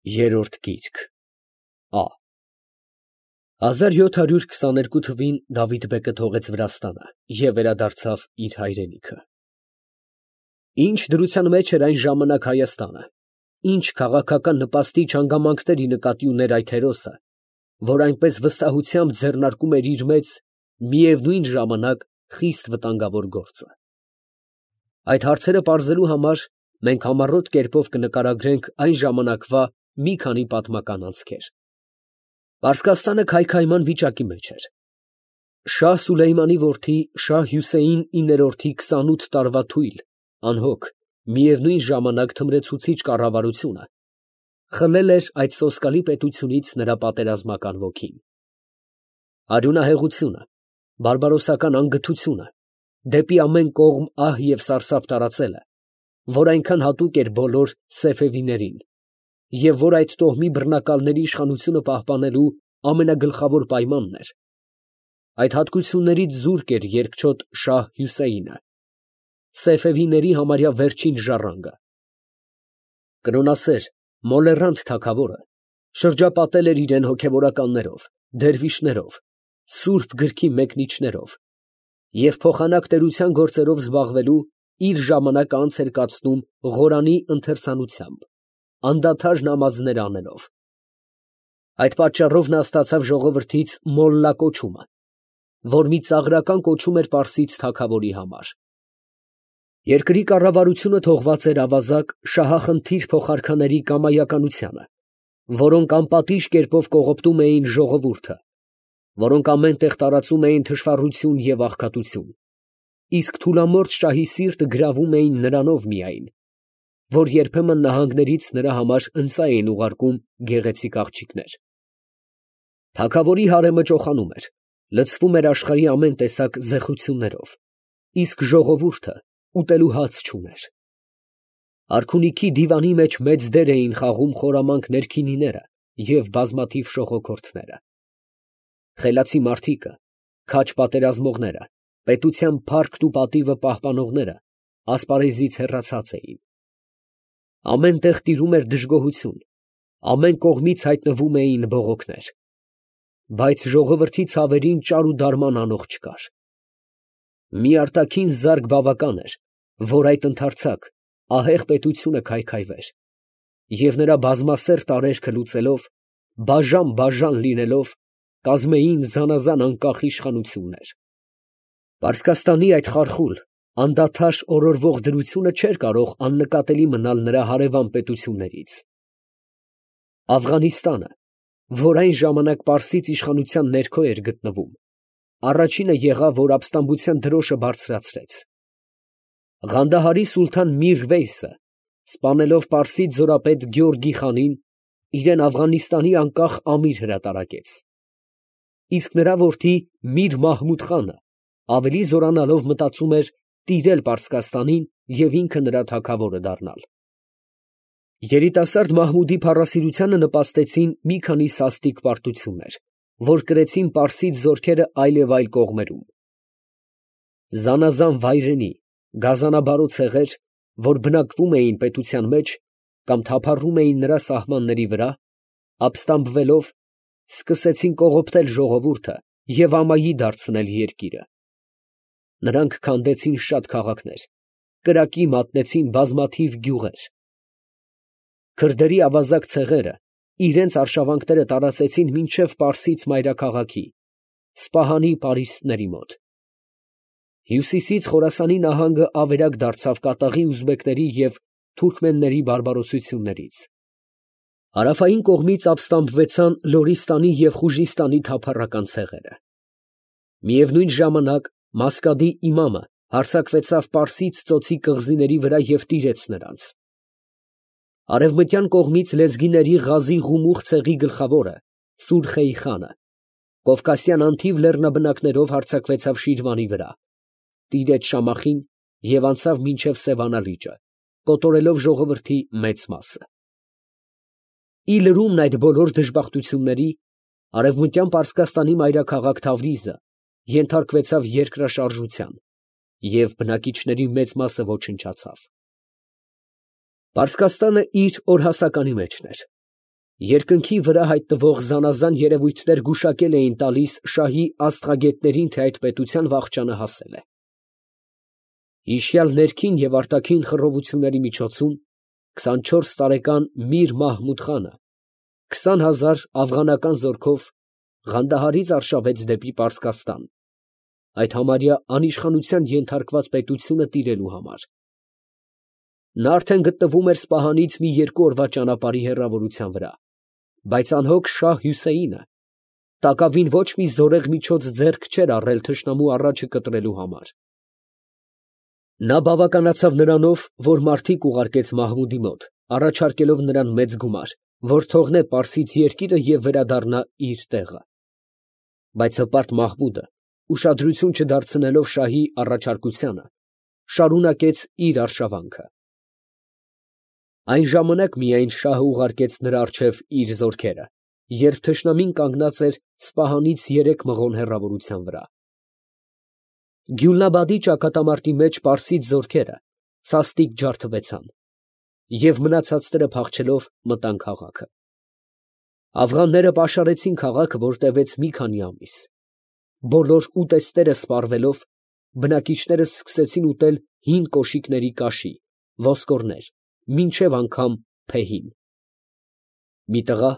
Երրորդ գիրք Ա 1722 թվին Դավիթ բեկը թողեց Վրաստանը և վերադարձավ իր հայրենիքը։ Ինչ դրության մեջ էր այն ժամանակ Հայաստանը, ինչ քաղաքական նպաստիչ հանգամանքների նկատի ուներ այդ հերոսը, որ այնպես վստահությամբ ձեռնարկում էր իր մեծ, միևնույն ժամանակ խիստ վտանգավոր գործը։ Այդ հարցերը պարզելու համար մենք համառոտ կերպով կնկարագրենք այն ժամանակվա մի քանի պատմական անցքեր։ Պարսկաստանը քայքայման վիճակի մեջ էր։ Շահ Սուլեյմանի որդի Շահ Հյուսեյն 9-րդի 28 տարվա թույլ, անհոգ, միևնույն ժամանակ թմրեցուցիչ կառավարությունը խլել էր այդ սոսկալի պետությունից նրա պատերազմական ոգին։ Արյունահեղությունը, բարբարոսական անգթությունը, դեպի ամեն կողմ ահ և սարսափ տարածելը, որ այնքան հատուկ էր բոլոր սեֆևիներին, և որ այդ տոհմի բռնակալների իշխանությունը պահպանելու ամենագլխավոր պայմանն էր, այդ հատկություններից զուրկ էր երկչոտ Շահ Հյուսեյնը, սեֆևիների համարյա վերջին ժառանգը։ Կրոնասեր, մոլեռանդ թագավորը շրջապատել էր իրեն հոգևորականներով, դերվիշներով, սուրբ գրքի մեկնիչներով և փոխանակ տերության գործերով զբաղվելու իր ժամանակը անց էր կացնում Ղորանի ընթերցանությամբ, անդադար նամազներ անելով։ Այդ պատճառով նա ստացավ ժողովրդից մոլլա կոչումը, որ մի ծաղրական կոչում էր պարսից թագավորի համար։ Երկրի կառավարությունը թողված էր ավազակ շահախնդիր փոխարքաների կամայականությանը, որոնք անպատիժ կերպով կողոպտում էին ժողովուրդը, որոնք ամեն տեղ տարածում էին թշվառություն և աղքատություն, իսկ թուլամորթ շահի սիրտը գրավում էին նրանով միայն, որ երբեմն նահանգներից նրա համար ընծայ էին ուղարկում գեղեցիկ աղջիկներ։ Թագավորի հարեմը ճոխանում էր, լցվում էր աշխարհի ամեն տեսակ զեղություններով, իսկ ժողովուրդը ուտելու հաց չուներ։ Արքունիքի դիվանի մեջ մեծ դեր էին խաղում խորամանկ ներքինիները և բազմաթիվ շողոքորթները։ Խելացի մարդիկը, քաջ պատերազմողները, պետության փառքն ու պատիվը պահպանողները ասպարեզից հեռացած էին։ Ամեն տեղ տիրում էր դժգոհություն, ամեն կողմից հայտնվում էին բողոքներ, բայց ժողովրդի ցավերին ճար ու դարման անող չկար։ Մի արտաքին զարկ բավական էր, որ այդ ընդարձակ, ահեղ պետությունը քայքայվեր, և նրա բազմասերտ արերքը լուծելով, բաժան լինելով, կազմեին զանազան անկախ իշխանություններ։ Պարսկաստանի այդ խարխուլ, անդադար օրորվող դրությունը չէր կարող աննկատելի մնալ նրա հարևան պետություններից։ Աֆղանիստանը, որ այն ժամանակ պարսից իշխանության ներքո էր գտնվում, առաջինը եղավ, որ ապստամբության դրոշը բարձրացրեց։ Ղանդահարի սուլթան Միր Վեյսը, սպանելով պարսից զորապետ Գյորգի խանին, իրեն Աֆղանիստանի անկախ ամիր հրատարակեց, իսկ նրա որդի Միր Մահմուդ խանը ավելի զորանալով մտածում էր տիրել Պարսկաստանին և ինքը նրա թագավորը դառնալ։ Երիտասարդ Մահմուդի փառասիրությանը նպաստեցին մի քանի սաստիկ պարտություններ, որ կրեցին պարսից զորքերը այլ և այլ կողմերում։ Զանազան վայրենի, գազանաբարո ցեղեր, որ բնակվում էին պետության մեջ կամ թափառում էին նրա սահմանների վրա, ապստամբվելով, սկսեցին կողոպտել ժողովուրդը և ամայի դարձնել երկիրը։ Նրանք քանդեցին շատ քաղաքներ, կրակի մատնեցին բազմաթիվ գյուղեր։ Քրդերի ավազակ ցեղերը իրենց արշավանքները տարածեցին մինչև Պարսից մայրաքաղաքի, Սպահանի պարիսպների մոտ։ Հյուսիսից Խորասանի նահանգը ավերակ դարձավ կատաղի ուզբեկների և թուրքմենների բարբարոսություններից։ Հարավային կողմից ապստամբվեցան Լորիստանի և Խուժիստանի թափառական ցեղերը։ Միևնույն ժամանակ Մասկադի իմամը հարձակվեցավ Պարսից ծոցի կղզիների վրա և տիրեց նրանց։ Արևմտյան կողմից լեզգիների Ղազի Ղումուղ ցեղի գլխավորը Սուրխեյ խանը կովկասյան անթիվ լեռնաբնակներով հարձակվեցավ Շիրվանի վրա, տիրեց Շամախին և անցավ մինչև Սևանա լիճը, կոտորելով ժողովրդի մեծ մասը։ Ի լրումն այդ բոլոր դժբախտությունների, արևմտյան Պարսկաստանի մայրաքաղաք Թավրիզը ենթարկվեցավ երկրաշարժության, և բնակիչների մեծ մասը ոչնչացավ։ Պարսկաստանը իր օրհասականի մեջն էր։ Երկնքի վրա հայտնվող զանազան երևույթներ գուշակել էին տալիս շահի աստղագետներին, թե այդ պետության վախճանը հասել է։ Հիշյալ ներքին և արտաքին խռովությունների միջոցում 24 տարեկան Միր Մահմուդ խանը 20,000 աֆղանական զորքով Ղանդահարից արշավեց դեպի Պարսկաստան, այդ համարյա անիշխանության ենթարկված պետությունը տիրելու համար։ Նա արդեն գտնվում էր Սպահանից մի 2 օրվա ճանապարհի հեռավորության վրա, բայց անհոգ Շահ Հյուսեյնը տակավին ոչ մի զորեղ միջոց ձեռք չէր առել թշնամու առաջը կտրելու համար։ Նա բավականացավ նրանով, որ մարդիկ ուղարկեց Մահմուդի մոտ, առաջարկելով նրան մեծ գումար, որ թողնե Պարսից երկիրը և վերադառնա իր տեղը։ Բայց հպարտ Մահմուդը, ուշադրություն չդարձնելով շահի առաջարկությանը, շարունակեց իր արշավանքը։ Այն ժամանակ միայն շահը ուղարկեց նրա առջև իր զորքերը, երբ թշնամին կանգնած էր Սպահանից 3 մղոն հեռավորության վրա։ Գյուլնաբադի ճակատամարտի մեջ պարսից զորքերը սաստիկ ջարդվեցան և մնացածները փախչելով մտան քաղաքը։ Աֆղանները պաշարեցին քաղաքը, որ տևեց մի քանի ամիս։ Բոլոր ուտեստները սպառվելով, բնակիչները սկսեցին ուտել հին կոշիկների կաշի, ոսկորներ, մինչև անգամ փեհին։ Մի տղա,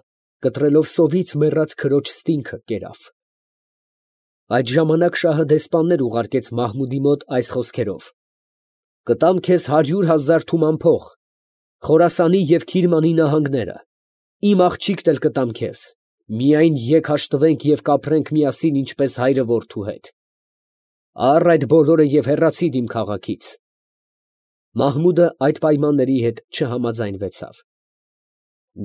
կտրելով սովից մեռած քրոջ ստինքը, կերավ։ Այդ ժամանակ շահը դեսպաններ ուղարկեց Մահմուդի մոտ այս խոսքերով. «Կտամ քեզ 100,000 թուման փող, Խորասանի և Քիրմանի նահանգները, իմ աղջիկն էլ կտամ քեզ, միայն եկ հաշտվենք և կապրենք միասին, ինչպես հայրը որդու հետ։ Առ այդ բոլորը և հեռացիր իմ քաղաքից»։ Մահմուդը այդ պայմանների հետ չհամաձայնվեցավ։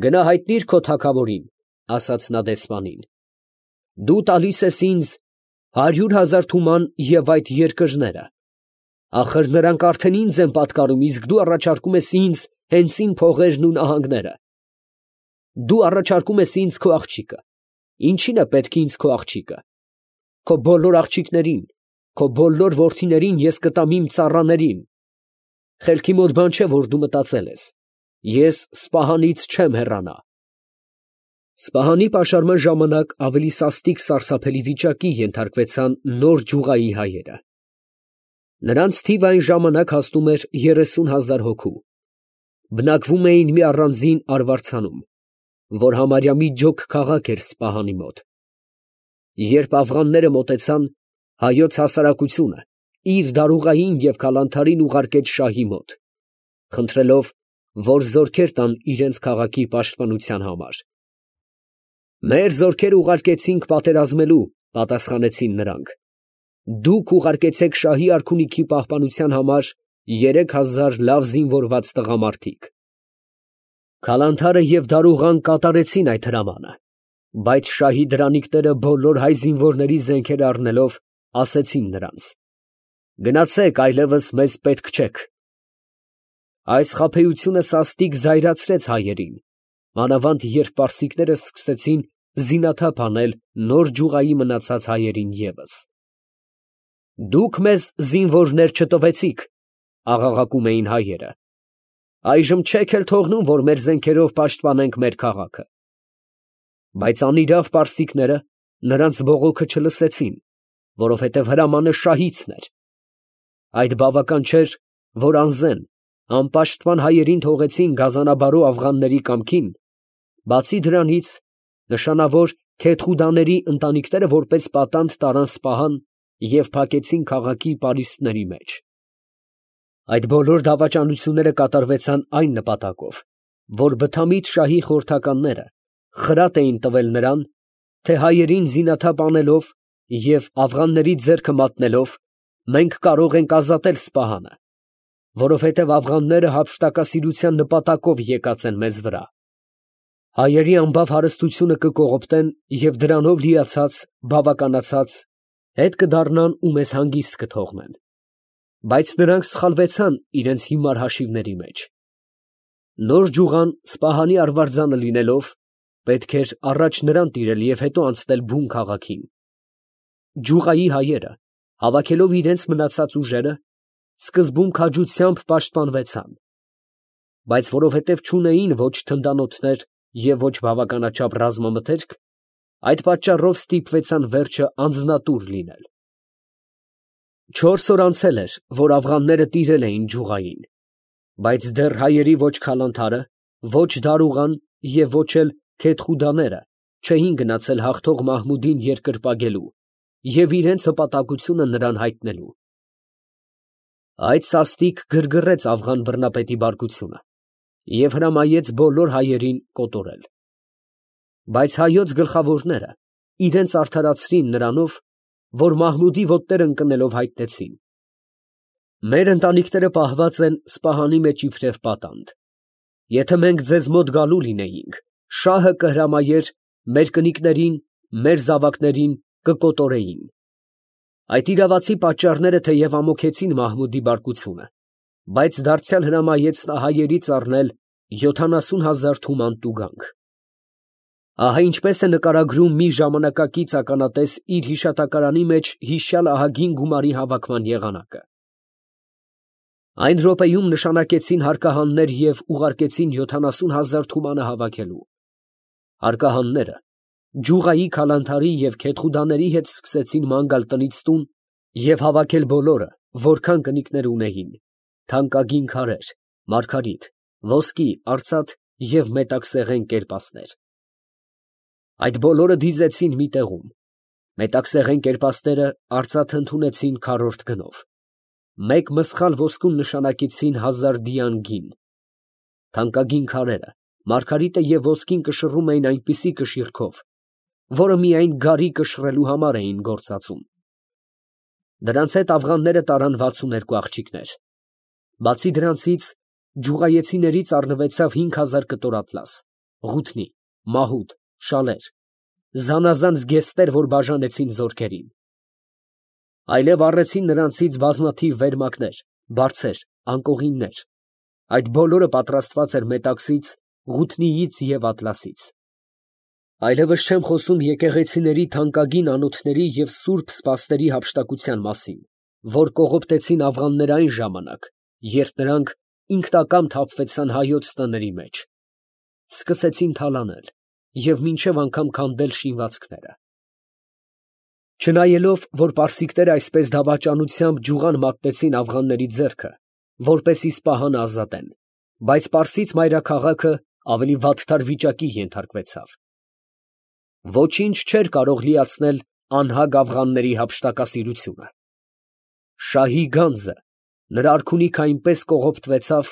«Գնա հայտնիր քո թագավորին, ֊ ասաց նա դեսպանին, ֊ դու տալիս ես ինձ 100,000 թուման և այդ երկրները. ախր նրանք արդեն ինձ են պատկանում, իսկ դու առաջարկում ես ինձ հենց իմ փողերն ու նահանգները։ Դու առաջարկում ես ինձ քո աղջիկը. ինչի՞ն է պետք ինձ քո աղջիկը։ Քո բոլոր աղջիկներին, քո բոլոր որդիներին ես կտամ իմ ծառաներին։ Խելքի մոտ բան չէ, որ դու մտածել ես. ես Սպահանից չեմ հեռանա։ Սպահանի պաշարման ժամանակ ավելի սաստիկ սարսափելի վիճակի ենթարկվեցան նոր Ջուղայի հայերը։ Նրանց թիվը այն ժամանակ հասնում էր 30,000 հոգու։ Բնակվում էին մի առանձին արվարձանում, որ համարյա մի ջոկ քաղաք էր Սպահանի մոտ։ Երբ աֆղանները մոտեցան, հայոց հասարակությունը իր դարուղային և քալանթարին ուղարկեց շահի մոտ, խնդրելով, որ զորքեր տան իրենց քաղաքի պաշտպանության համար։ «Մեր զորքերը ուղարկեցինք պատերազմելու, ֊ պատասխանեցին նրանք, ֊ դուք ուղարկեցեք շահի արքունիքի պահպանության համար 3,000 լավ զինվորված տղամարդիկ»։ Քալանթարը և դարուղան կատարեցին այդ հրամանը, բայց շահի դրանիկները բոլոր հայ զինվորների զենքերը առնելով, ասեցին նրանց. «Գնացեք, այլևս մեզ պետք չեք»։ Այս խաբեությունը սաստիկ զայրացրեց հայերին, մանավանդ երբ պարսիկները սկսեցին զինաթափ անել նոր Ջուղայի մնացած հայերին ևս։ «Դուք մեզ զինվորներ չտվեցիք, ֊ աղաղակում էին հայերը, ֊ այժմ չեք էլ թողնում, որ մեր զենքերով պաշտպանենք մեր քաղաքը»։ Բայց անիրավ պարսիկները նրանց բողոքը չլսեցին, որովհետև հրամանը շահիցն էր։ Այդ բավական չէր, որ անզեն, անպաշտպան հայերին թողեցին գազանաբարո աֆղանների կամքին, բացի դրանից, նշանավոր Քեթխուդաների ընտանիքները որպես պատանդ տարան Սպահան և փակեցին քաղաքի պարիսպների մեջ։ Այդ բոլոր դավաճանությունները կատարվեցան այն նպատակով, որ բթամիտ շահի խորհրդականները խրատ էին տվել նրան, թե հայերին զինաթափ անելով և աֆղանների ձեռքը մատնելով, մենք կարող ենք ազատել Սպահանը, որովհետև աֆղանները հափշտակասիրության նպատակով եկած են մեզ վրա։ Հայերի անբավ հարստությունը կկողոպտեն և դրանով լիացած, բավականացած, հետ կդառնան ու մեզ հանգիստ կթողնեն։ Բայց նրանք սխալվեցան իրենց հիմար հաշիվների մեջ։ Նոր Ջուղան Սպահանի արվարձանը լինելով, պետք էր առաջ նրան տիրել և հետո անցնել բուն քաղաքին։ Ջուղայի հայերը, հավաքելով իրենց մնացած ուժերը, սկզբում քաջությամբ պաշտպանվեցան, բայց որովհետև չունեին ոչ թնդանոթներ, և ոչ բավականաչափ ռազմամթերք, այդ պատճառով ստիպվեցան վերջը անձնատուր լինել։ 4 օր անցել էր, որ աֆղանները տիրել էին Ջուղային, բայց դեռ հայերի ոչ Քալանթարը, ոչ Դարուղան և ոչ էլ Քեթխուդաները չէին գնացել հաղթող Մահմուդին երկրպագելու և իրենց հպատակությունը նրան հայտնելու։ Այդ սաստիկ գրգռեց աֆղան բռնապետի բարկությունը և հրամայեց բոլոր հայերին կոտորել։ Բայց հայոց գլխավորները իրենց արդարացրին նրանով, որ Մահմուդի ոտները ընկնելով հայտնեցին. «Մեր ընտանիքները պահված են Սպահանի մեջ իբրև պատանդ. եթե մենք ձեզ մոտ գալու լինեինք, շահը կհրամայեր մեր կնիկներին, մեր զավակներին կկոտորեին»։ Այդ իրավացի պատճառները թեև ամոքեցին Մահմուդի բարկությունը, բայց դարձյալ հրամայեց նա հայերից առնել 70,000 թուման տուգանք։ Ահա ինչպես է նկարագրում մի ժամանակակից ականատես իր հիշատակարանի մեջ հիշյալ ահագին գումարի հավաքման եղանակը. «Այն րոպեում նշանակեցին հարկահաններ և ուղարկեցին 70,000 թումանը հավաքելու։ Հարկահանները Ջուղայի Քալանթարի և Քեթխուդաների հետ սկսեցին ման գալ տնից տուն և հավաքել բոլորը, որքան կնիկներ ունեին, թանկագին քարեր, մարգարիտ, ոսկի, արծաթ և մետաքսեղեն կերպասներ։ Այդ բոլորը դիզեցին մի տեղում, մետաքսեղեն կերպասները արծաթ ընդունեցին քառորդ գնով, մեկ մսխալ ոսկուն նշանակեցին 1000 դիան գին, թանկագին քարերը, մարգարիտը և ոսկին կշռում էին այնպիսի կշիռքով, որը միայն գարի կշռելու համար էին գործածում։ Դրանց հետ աֆղանները տարան 62 աղջիկներ։ Բացի դրանցից, ջուղայեցիներից առնվեցավ 5000 կտոր ատլաս, ղութնի, մահուդ, շալեր, զանազան զգեստներ, որ բաժանեցին զորքերին։ Այլև առեցին նրանցից բազմաթիվ վերմակներ, բարձեր, անկողիններ, այդ բոլորը պատրաստված էր մետաքսից, ղութնիից և ատլասից։ Այլևս չեմ խոսում եկեղեցիների թանկագին անոթների և սուրբ սպասների հափշտակության մասին, որ կողոպտեցին աֆղանները այն ժամանակ, երբ նրանք ինքնակամ թափվեցան հայոց տների մեջ, սկսեցին թալանել և մինչև անգամ քանդել շինվածքները։ Չնայելով, որ պարսիկները այսպես դավաճանությամբ ջուղան մատնեցին աֆղանների ձեռքը, որպեսզի Սպահանը ազատեն, բայց պարսից մայրաքաղաքը ավելի վատթար վիճակի ենթարկվեցավ։ Ոչինչ չէր կարող լիացնել անհագ աֆղանների հափշտակասիրությունը։ Շահի գանձը նրա արքունիքը այնպես կողոպտվեցավ,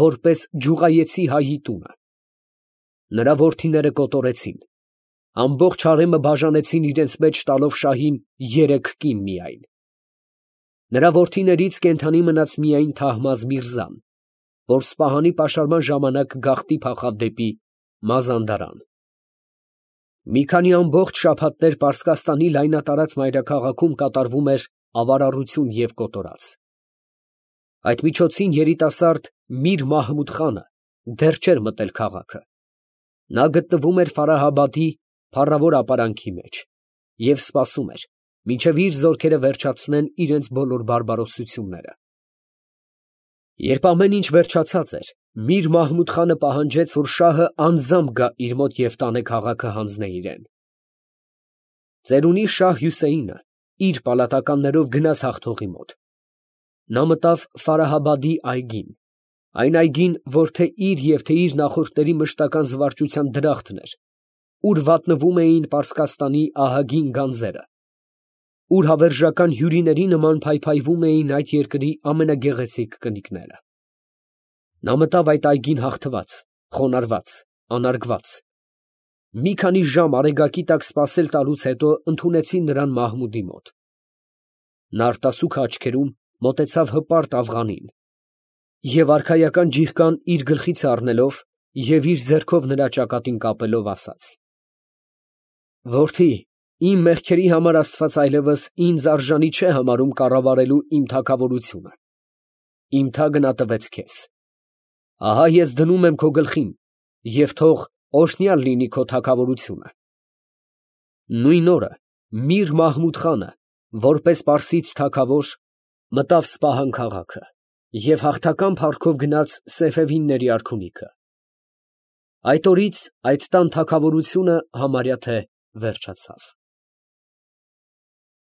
որպես ջուղայեցի հայի տունը։ Նրա որդիները կոտորեցին, ամբողջ հարեմը բաժանեցին իրենց մեջ տալով շահին 3 կին միայն։ Նրա որդիներից կենդանի մնաց միայն Թահմազ Միրզան, որ Սպահանի պաշարման ժամանակ գաղտնի փախավ դեպի Մազանդարան։ Մի քանի ամբողջ շաբաթներ Պարսկաստանի լայնատարած մայրաքաղաքում կատարվում էր ավարառություն և կոտորած։ Այդ միջոցին երիտասարդ Միր Մահմուդ խանը դեռ չէր մտել քաղաքը։ Նա գտնվում էր Ֆարահաբադի փառավոր ապարանքի մեջ և սպասում էր, մինչև իր զորքերը վերջացնեն իրենց բոլոր բարբարոսությունները։ Երբ ամեն ինչ վերջացած էր, Միր Մահմուդ խանը պահանջեց, որ շահը անձամբ գա իր մոտ և տանե քաղաքը հանձնե իրեն։ Ծերունի շահ Հյուսեյնը իր պալատականներով գնաց հաղթողի մոտ։ Նա մտավ Ֆարահաբադի այգին, այն այգին, որ թե իր և թե իր նախորդների մշտական զվարճության դրախտն էր, ուր վատնվում էին Պարսկաստանի ահագին գանձերը, ուր հավերժական հյուրիների նման փայփայվում էին այդ երկրի ամենագեղեցիկ կնիկները։ Նա մտավ այդ այգին հաղթված, խոնարհված, անարգված։ Մի քանի ժամ արեգակի տակ սպասել տալուց հետո ընդունեցին նրան Մահմուդի մոտ։ Նա արտասուք աչքերում մոտեցավ հպարտ աֆղանին և արքայական ջիղկան իր գլխից առնելով և իր ձեռքով նրա ճակատին կապելով, ասաց. «Որդի, իմ մեղքերի համար Աստված այլևս ինձ արժանի չէ համարում կառավարելու իմ թագավորությունը. իմ թագն ատվեց քեզ։ Ահա ես դնում եմ քո գլխին, և թող օրհնյալ լինի քո թագավորությունը»։ Նույն օրը Միր Մահմուդ խանը, որպես պարսից թագավոր, մտավ Սպահան քաղաքը և հաղթական փառքով գնաց Սեֆևիդների արքունիքը։ Այդ օրից այդ տան թագավորությունը համարյա թե վերջացավ։